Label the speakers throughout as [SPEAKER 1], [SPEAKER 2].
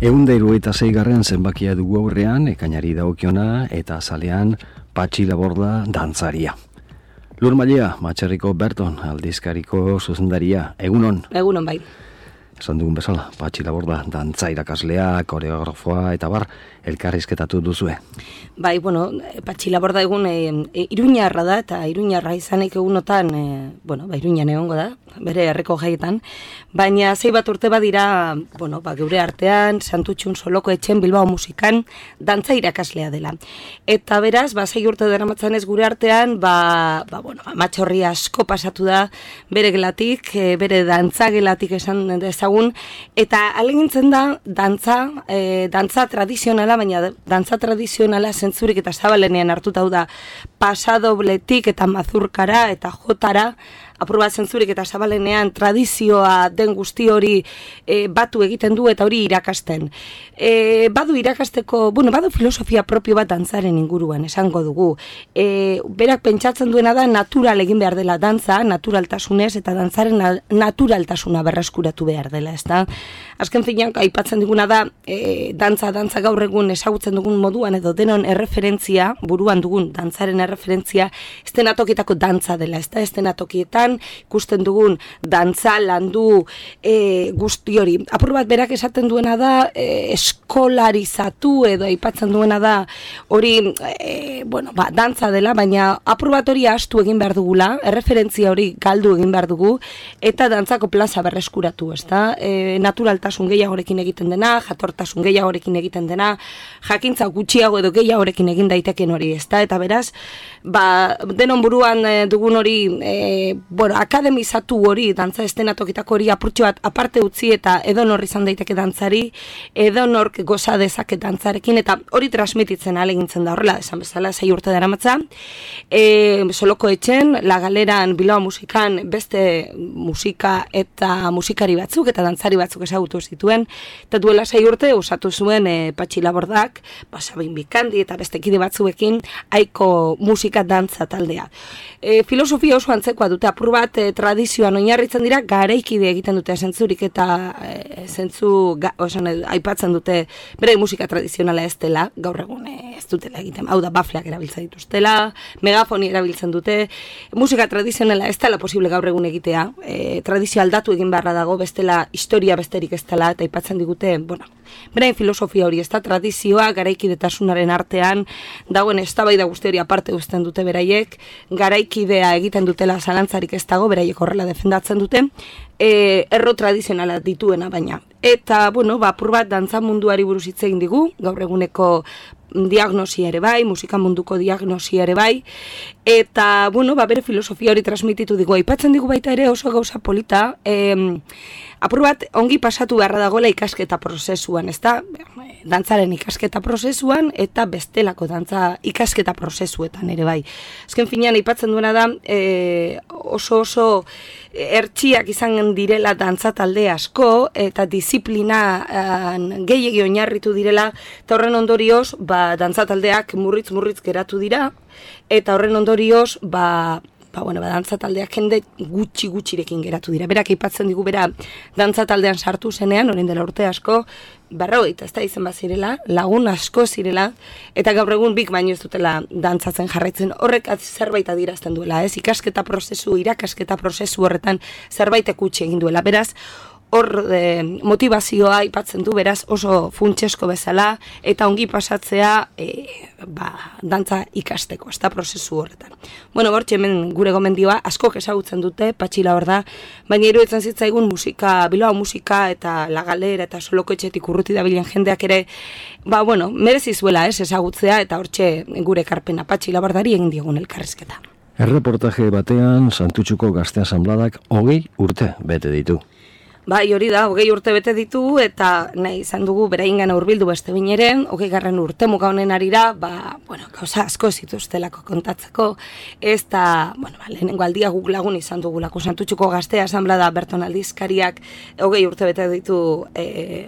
[SPEAKER 1] 176. zenbakia dugu aurrean, ekainari dagokiona eta azalean Patxi Laborda dantzaria. Lur Mailea, Matxerriko Berton aldizkariko zuzendaria. Egunon?
[SPEAKER 2] Egunon bai.
[SPEAKER 1] Esan dugun bezala, Patxi Laborda dantza irakaslea, koreografoa eta bar, elkarrizketatu duzue.
[SPEAKER 2] Bai, Patxi Laborda egun iruñarra da, eta iruñarra izanik egunotan, iruñan egongo da, bere herriko jaietan, baina zei bat urte badira, geure artean, Santutxun Soloko Etxen Bilbao musikan, dantza irakaslea dela. Eta beraz, zei urte daramatzan ez gure artean, amatxorri asko pasatu da, bere gelatik, bere dantza gelatik esan dezagun, eta alegintzen da, dantza tradizionala, baina dantza tradizionala zentzurik eta zabalenean hartuta da pasadobletik eta mazurkara eta jotara, apur bat zentzurik eta zabalenean tradizioa den guzti hori batu egiten du eta hori irakasten. Badu irakasteko, badu filosofia propio bat dantzaren inguruan, esango dugu. Berak pentsatzen duena da natural egin behar dela dantza, naturaltasunez eta dantzaren naturaltasuna berreskuratu behar dela, ezta? Azken finean, aipatzen diguna da, dantza gaur egun ezagutzen dugun moduan edo denon erreferentzia, buruan dugun dantzaren erreferentzia, estenatokitako dantza dela, ezta? Estenatokietan ikusten dugun dantza landu guzti hori. Apur bat berak esaten duena da eskolarizatu edo aipatzen duena da hori dantza dela, baina apur bat hori astu egin behar dugula, erreferentzia hori galdu egin behar dugu eta dantzako plaza berreskuratu, ezta? Naturaltasun gehiagorekin egiten dena, jatortasun gehiagorekin egiten dena, jakintza gutxiago edo gehiagorekin egin daiteken hori, ezta? Eta beraz, denon buruan dugun hori akademizatu hori, dantza estenatokitako hori apurtxo bat aparte utzi eta edonor izan daiteke dantzari, edonork goza dezake dantzarekin, eta hori transmititzen alegintzen da horrela, esan bezala, 6 urte daramatza. Soloko Etxen, La Galeran, Bilbao musikan, beste musika eta musikari batzuk eta dantzari batzuk ezagutu zituen, eta duela 6 urte osatu zuen Patxi Labordak, Sabin Bikandi eta beste kide batzuekin aiko musika dantza taldea. Filosofia oso antzekoa dute, apur bat tradizioan oinarritzen dira, garaikide egiten dute zentzurik eta aipatzen dute bere musika tradizionala ez dela, gaur egun ez dutela egiten, hau da bafleak erabiltzen dituztela, megafoni erabiltzen dute, musika tradizionala ez dela posible gaur egun egitea, tradizio aldatu egin beharra dago, bestela historia besterik ez dela, eta aipatzen digute, berain filosofia hori ez da, tradizioa garaikidetasunaren artean dagoen eztabaida guzti hori aparte uzten dute beraiek, garaikidea egiten dutela zalantzarik ez dago, beraiek horrela defendatzen dute, erro tradizionala dituena baina. Eta, apur bat dantza munduari buruz hitz egin digu, gaur eguneko diagnosia ere bai, musika munduko diagnosia ere bai, eta, bere filosofia hori transmititu digu. Aipatzen digu baita ere oso gauza polita, apur bat ongi pasatu beharra dagoela ikasketa prozesuan, ezta? Dantzaren ikasketa prozesuan eta bestelako dantza ikasketa prozesuetan ere bai. Azken finean aipatzen duena da oso ertxiak izan direla dantza talde asko eta disiplina gehiegi oinarritu direla, eta horren ondorioz dantza taldeak murritz geratu dira, eta horren ondorioz dantza taldeak jende gutxirekin geratu dira. Berak aipatzen digu bera dantza taldean sartu zenean, orain dela urte asko, 40, ez da izen bazirela, lagun asko zirela, eta gaur egun bik baino ez dutela dantzatzen jarraitzen. Horrek zerbait adierazten duela, ez? Irakasketa prozesu horretan zerbait ekutsi egin duela. Beraz, hor motivazioa aipatzen du, beraz oso funtsesko bezala, eta ongi pasatzea dantza ikasteko, ez da prozesu horretan. Bortxe hemen gure gomendioa, askok ezagutzen dute, Patxi Laborda, baina iruditzen zitzaigun Bilbao musika eta La Galera eta Soloko Etxetik urruti dabilen jendeak ere, merezi zuela ezagutzea, eta hortxe gure ekarpena Patxi Labordari egin diogun elkarrizketa.
[SPEAKER 1] Erreportaje batean, Santutxuko Gazte Asanbladak 20 urte bete ditu.
[SPEAKER 2] Bai, hori da, 20 urte bete ditu, eta nahi izan dugu beraingan hurbildu beste bineren, 20. urtemuga honen arira, gauza asko zituztelako kontatzeko, ez da, lehenengo aldia guk lagun izan dugulako Santutxuko Gazte Asanblada Berton aldizkariak 20 urte bete ditu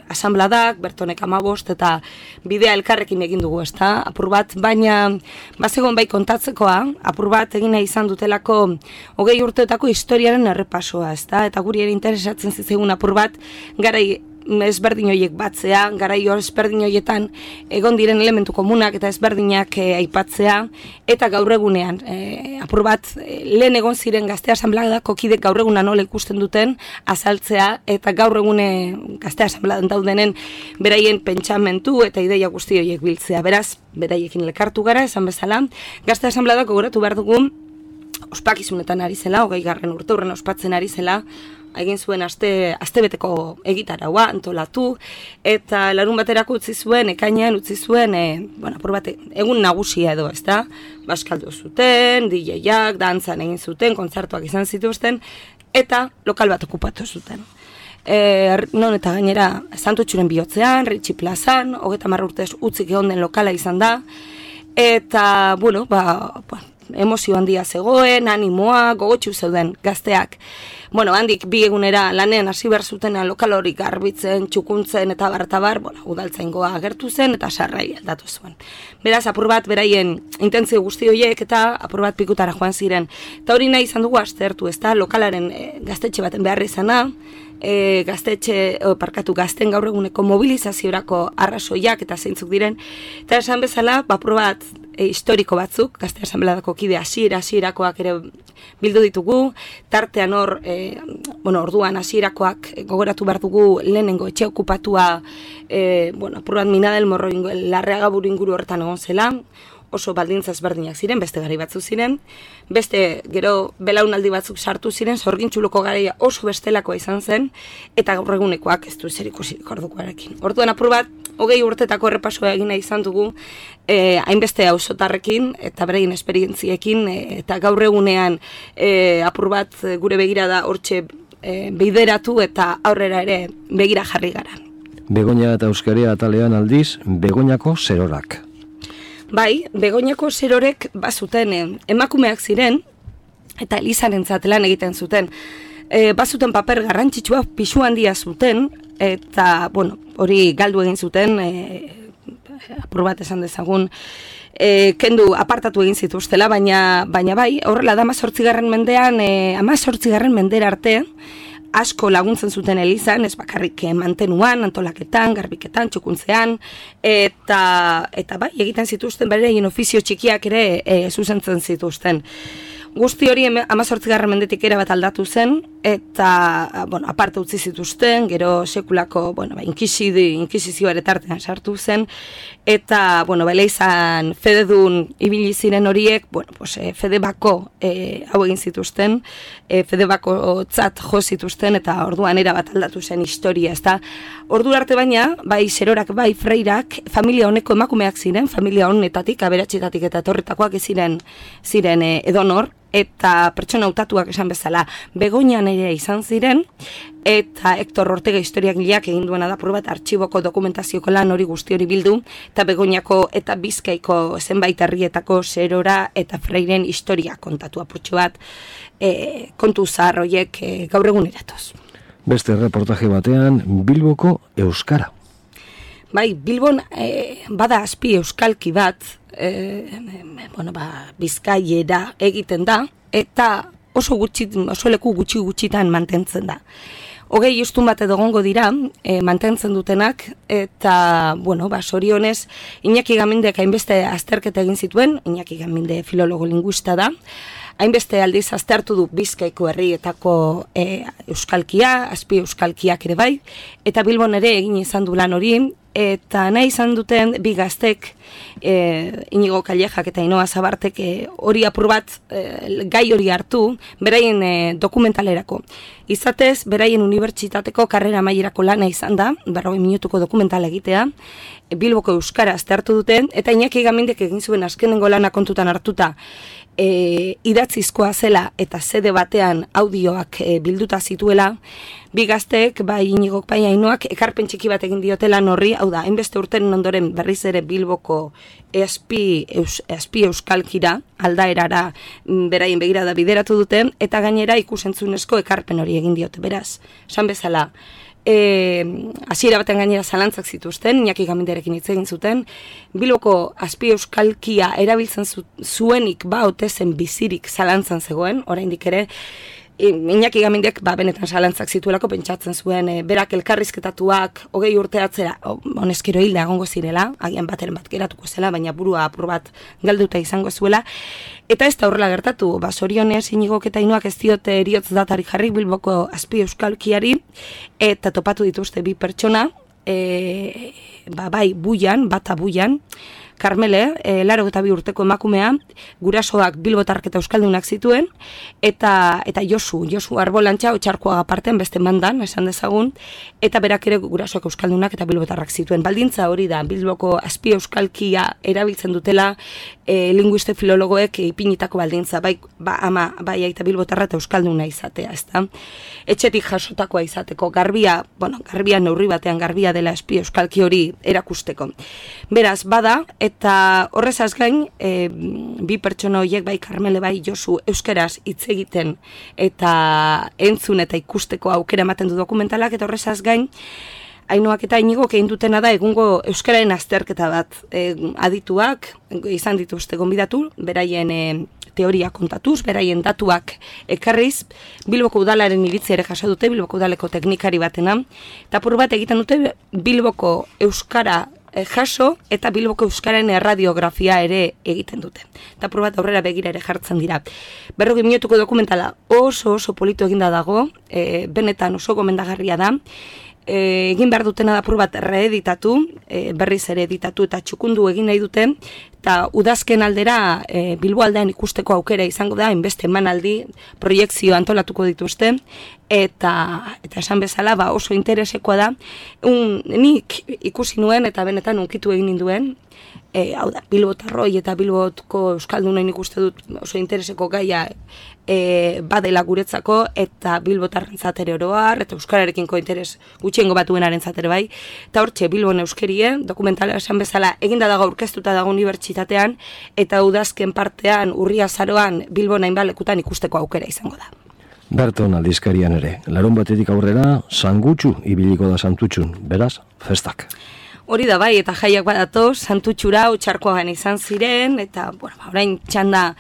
[SPEAKER 2] asanbladak, Bertonek 15, eta bidea elkarrekin egin dugu, ez da, apur bat, baina bazegoen bai kontatzekoa, apur bat egin nahi izan dutelako 20 urteetako historiaren errepasoa, ez da, eta guri ere interesatzen zitzaigun apur bat, garai ezberdin horiek batzea, garaio ezberdin horietan egon diren elementu komunak eta ezberdinak aipatzea, eta gaur egunean, apur bat, lehen egon ziren Gazte Asanbladako kidek gaur eguna nola ikusten duten azaltzea, eta gaur egune Gazte Asanbladan daudenen beraien pentsamentu eta ideia guzti horiek biltzea. Beraz, beraiekin elkartu gara, esan bezala, Gazte Asanbladako gogoratu behar dugu, ospakizunetan ari zela, 20. urteurren ospatzen ari zela, egin zuen astebeteko egitaraua antolatu, eta larun baterako utzi zuen, ekainean utzi zuen, apur bat, egun nagusia edo, ezta? Baskaldu zuten, DJak, dantzan egin zuten, kontzertuak izan zituzten, eta lokal bat okupatu zuten. Non eta gainera, Santutxuren bihotzean, Ritxi plazan, 30 urtez utzik egon den lokala izan da, eta, emozio handia zegoen, animoa, gogotxu zeuden gazteak. Handik bi egunera lanean hasi behar zutena lokal hori garbitzen, txukuntzen eta bartabar, udaltzaingoa agertu zen eta sarrai aldatu zuen. Beraz, apur bat beraien intentzio guzti horiek eta apur bat pikutara joan ziren. Eta hori nahi izan dugu aztertu, ez da, lokalaren gaztetxe baten behar izana, gazten gaur eguneko mobilizaziorako arrazoiak eta zeintzuk diren, eta esan bezala, apur bat historiko batzuk, Gazte Asanbladako kide hasierakoak ere bildu ditugu, tartean hor, orduan hasierakoak gogoratu behar dugu lehenengo etxe okupatua, apur bat Mina del Morro Larreaga buru inguru horretan egon zela, oso baldintza ezberdinak ziren, beste gari batzuk ziren, beste gero belaunaldi batzuk sartu ziren, Sorgintxuluko garaia oso bestelakoa izan zen, eta gaur egunekoak ez du zerikusirik ordukoarekin. Orduan apur bat, 20 urtetako errepasoa egina izan dugu, hainbeste auzotarrekin eta beraien esperientziekin, eta gaur egunean apur bat gure begirada hortxe bideratu eta aurrera ere begira jarri gara.
[SPEAKER 1] Begoña eta Euskaria atalean aldiz, Begoñako zerorak.
[SPEAKER 2] Bai, Begoñako zerorek bazuten emakumeak ziren, eta Elizarentzat lan egiten zuten. Bazuten paper garrantzitsua, pisu handia zuten, eta, hori galdu egin zuten, apur bat esan dezagun, kendu apartatu egin zituztela, baina bai, horrela da 18. mendean, 18. mendera arte, asko laguntzen zuten Elizan, ez bakarrik mantenuan, antolaketan, garbiketan, txukuntzean, eta bai, egiten zituzten, beraien ofizio txikiak ere zuzentzen zituzten. Guzti hori 18. mendetik erabat aldatu zen, eta, aparte utzi zituzten, gero sekulako, inkisizioa ere tartean sartu zen, eta, Elizan fededun ibili ziren horiek, fedebako hau egin zituzten, fedebako tzat jo zituzten, eta orduan erabat aldatu zen historia, ezta. Ordu arte baina, bai zerorak, bai freirak, familia honeko emakumeak ziren, familia honetatik, aberatxetatik eta etorritakoak ziren edonor, eta pertsona hautatuak esan bezala Begoñan ere izan ziren, eta Hector Ortega historiagileak egin duena da bat artxiboko dokumentazioko lan hori guzti hori bildu, eta Begoñako eta Bizkaiko zenbait herrietako zerora eta freiren historia kontatu apurtxo bat, kontu zahar horiek gaur egun eratoz.
[SPEAKER 1] Beste reportaje batean, Bilboko euskara.
[SPEAKER 2] Bai, Bilbon bada azpi euskalki bat, Bizkaiera egiten da, eta oso leku gutxitan mantentzen da. 20 ustun bat edo gongo dira, mantentzen dutenak, eta, sorionez, Iñaki Gamindek hainbeste azterketa egin zituen, Iñaki Gaminde filologo linguista da, hainbeste aldiz aztertu du Bizkaiko herrietako euskalkia, azpi euskalkiak ere bai, eta Bilbon ere egin izan du lan hori, eta nahi izan duten bi gaztek, Inigo Kallejak eta Inoa Zabartek hori apur bat gai hori hartu, beraien dokumentalerako. Izatez, beraien unibertsitateko karrera amaierako lana izan da, 40 minutuko dokumentala egitea, Bilboko euskara aztertu duten, eta Iñaki Gamindek egin zuen azkenengo lana kontutan hartuta, idatzizkoa zela eta sede batean audioak bilduta zituela, bi gazteek, bai Inigok, bai Ainoak, ekarpen txiki bat egin diotela horri, hau da, hainbeste urteren ondoren berriz ere Bilboko azpi euskalkira, aldaerara beraien begirada bideratu duten, eta gainera ikusentzunezko ekarpen hori egin diote, beraz, esan bezala, hasiera baten gainera zalantzak zituzten, Iñaki Gaminderekin hitz egin zuten, Bilboko azpi euskalkia erabiltzen zuenik ba ote zen bizirik zalantzan zegoen, oraindik ere, Iñaki Gamindek benetan zalantzak zituelako pentsatzen zuen berak elkarrizketatuak 20 urte atzera honezkero hilda egongo zirela, agian bateren bat geratuko zela, baina burua apur bat galduta izango zuela. Eta ez da horrela gertatu, Zorionez Iñigok eta Ainuak ez diote eriotz datari jarri Bilboko azpi euskalkiari, eta topatu dituzte bi pertsona, bai buian, bata buian, Karmele, 82 urteko emakumea, gurasoak bilbotarrak eta euskaldunak zituen, eta Josu Arbolantxa, Otxarkoaga partean beste mandan, esan dezagun, eta berak ere gurasoak euskaldunak eta bilbotarrak zituen. Baldintza hori da, Bilboko azpi euskalkia erabiltzen dutela, linguiste filologoek ipinitako baldintza, bai aita bilbotarra eta euskalduna izatea, ezta? Etxetik jasotakoa izateko, garbia neurri batean garbia dela azpi euskalki hori erakusteko. Beraz, bada, eta horrezaz gain, bi pertsona horiek, bai Karmele, bai Josu, euskeraz hitz egiten eta entzun eta ikusteko aukera ematen du dokumentalak, eta horrezaz gain, Ainuak eta Iñigok egin dutena da egungo euskararen azterketa bat. Adituak izan dituzte gonbidatu, beraien teoria kontatuz, beraien datuak ekarriz, Bilboko udalaren iritzi ere jaso dute, Bilboko udaleko teknikari batena, eta apur bat egiten dute Bilboko euskara jaso eta Bilboko euskararen erradiografia ere egiten dute. Eta apur bat aurrera begira ere jartzen dira. 40 minutuko dokumentala oso polito eginda dago, benetan oso gomendagarria da, egin behar dutena da apur bat reeditatu, berriz ere editatu eta txukundu egin nahi dute, eta udazken aldera Bilbo aldean ikusteko aukera izango da, inbeste emanaldi, proiektzio antolatuko dituzte, eta esan bezala oso interesekoa da, nik ikusi nuen eta benetan unkitu egin ninduen, hau da, Bilbotarroi eta Bilbotko euskaldunen ikuste dut oso intereseko gaia badela guretzako, eta Bilbotarrentzat ere oroar, eta euskararekiko interes gutxiengo batuenarentzat ere bai, eta hortxe Bilbon euskerie, dokumentala esan bezala eginda dago aurkeztuta dago unibertsitatean, eta udazken partean, urria azaroan, Bilbon hainbat lekutan ikusteko aukera izango da.
[SPEAKER 1] Berton aldizkarian ere, larun batetik aurrera, Sangutxu ibiliko da Santutxun, beraz, festak.
[SPEAKER 2] Hori da bai, eta jaiak badato, Santutxura, Otxarkoagan izan ziren, eta, orain txanda,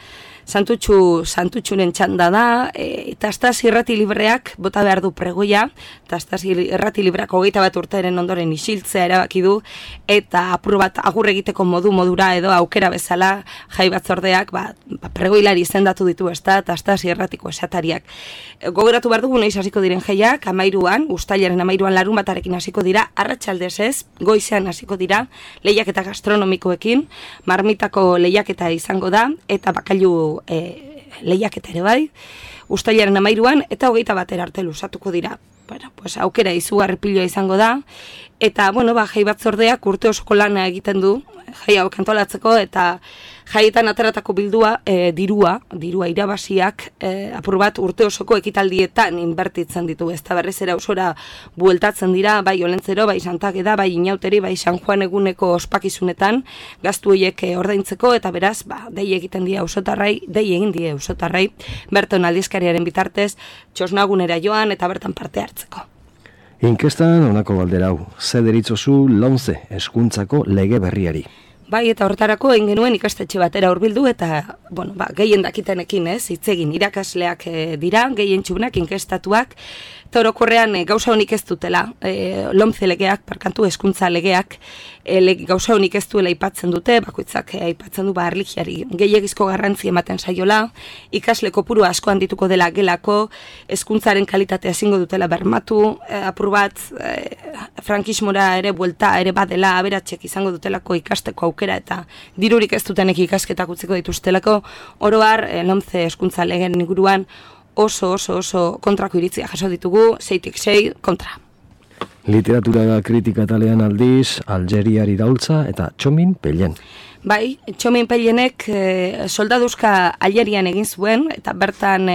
[SPEAKER 2] Santutxuren txanda da, eta Astaz irrati libreak bota behar du pregoia, eta Astaz irrati libreak 21 urteren ondoren isiltzea erabaki du, eta apur bat agur egiteko modura edo aukera bezala jai batzordeak pregoilari izendatu ditu, eta Astaz irratiko esatariak. Gogoratu behar dugu noiz hasiko diren jaiak, 13an, uztailaren 13an larun batarekin hasiko dira, arratsaldez ez, goizean hasiko dira, lehiaketa gastronomikoekin, marmitako lehiaketa izango da, eta bakailu lehiaketa ere bai, uztailaren 13an, eta 21 arte luzatuko dira. Aukera izugarri piloa izango da, eta, jai batzordeak urte osoko lana egiten du, jai hau kantolatzeko, eta jaietan ateratako dirua irabaziak, apur bat urte osoko ekitaldietan inbertitzen ditu, ez da berriz era osora bueltatzen dira, bai Olentzero, bai Santageda, bai Inauteri, bai San Juan eguneko ospakizunetan, gaztu horiek ordaintzeko, eta beraz, dei egiten die auzotarrai, Berton aldizkariaren bitartez, txosnagunera joan, eta bertan parte hartzeko.
[SPEAKER 1] Inkestan honako galdera hau, ze deritzozu Lomce hezkuntzako lege berriari?
[SPEAKER 2] Bai, eta horretarako egin genuen ikastetxe batera hurbildu, eta, gehien dakitenekin hitz egin irakasleak dira, gehien txunak, inkestatuak, eta orokorrean gauza honik ez dutela, Lomce legeak, parkantu hezkuntza legeak, gauza honik ez duela aipatzen dute, bakoitzak aipatzen du erlijiari gehiegizko garrantzi ematen saiola, ikasle kopuru asko handituko dela gelako, hezkuntzaren kalitatea ezingo dutela bermatu, apur bat frankismora ere buelta ere badela aberatsek izango dutelako ikasteko aukera, eta dirurik ez dutenek ikasketak utziko dituztelako, oroar Lomce hezkuntza legeen inguruan oso kontrako iritzia jaso ditugu, 6-6 kontra.
[SPEAKER 1] Literatura kritika talean aldiz, Algeriari daultza eta Txomin Pellen.
[SPEAKER 2] Bai, Txomin Pellenek soldaduzka Algerian egin zuen, eta bertan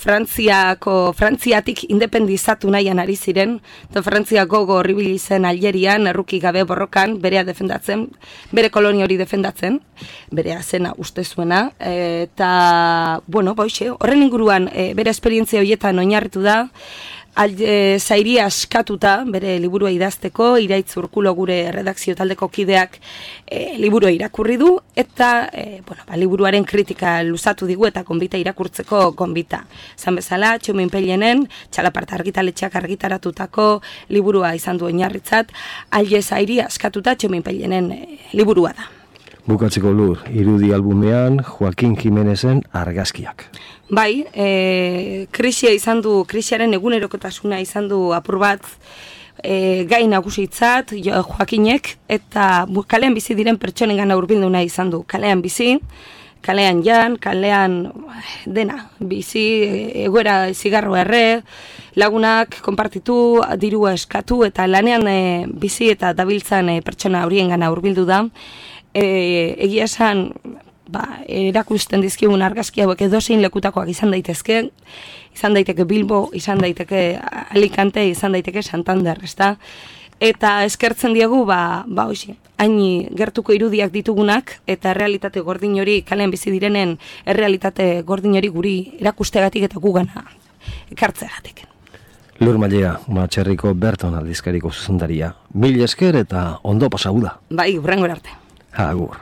[SPEAKER 2] Frantziatik independizatu nahian ari ziren, eta Frantzia gogo horribili zen Algerian, erruki gabe borrokan, berea defendatzen, bere kolonia hori defendatzen, berea zena uste zuena, eta, horren inguruan bere esperientzia horietan oinarritu da, Zairi askatuta, bere liburua idazteko, Iraitz Urkulo gure redakzio taldeko kideak liburua irakurri du, eta liburuaren kritika luzatu digu eta gonbita irakurtzeko gonbita. Zan bezala, Txomin Pellenen, Txalaparta argitaletxeak argitaratutako liburua izan du oinarritzat, Zairi askatuta Txomin Pellenen liburua da.
[SPEAKER 1] Bukatzeko Lur, irudi albumean Joaquin Jimenezen argazkiak.
[SPEAKER 2] Bai, krisiaren egunerokotasuna izan du apur bat gai nagusitzat Joakinek, eta kalean bizi diren pertsonengan hurbildu nahi izan du. Kalean bizi, kalean jan, kalean dena, bizi, egoera zigarro erre, lagunak konpartitu, dirua eskatu, eta lanean bizi eta dabiltzan pertsona horiengana hurbildu da. Egia esan, erakusten dizkigun argazki hauek edozein lekutakoak izan daiteke Bilbo, izan daiteke Alicante, izan daiteke Santander, ezta? Eta eskertzen diegu, hain gertuko irudiak ditugunak, eta errealitate gordin hori, kalean bizi direnen errealitate gordin hori guri erakustegatik eta gugana ekartzegatik.
[SPEAKER 1] Lur Mallea, Matxerriko Berton aldizkariko zuzendaria. Mil esker eta ondo pasau da.
[SPEAKER 2] Bai, hurrengora arte.
[SPEAKER 1] Agur.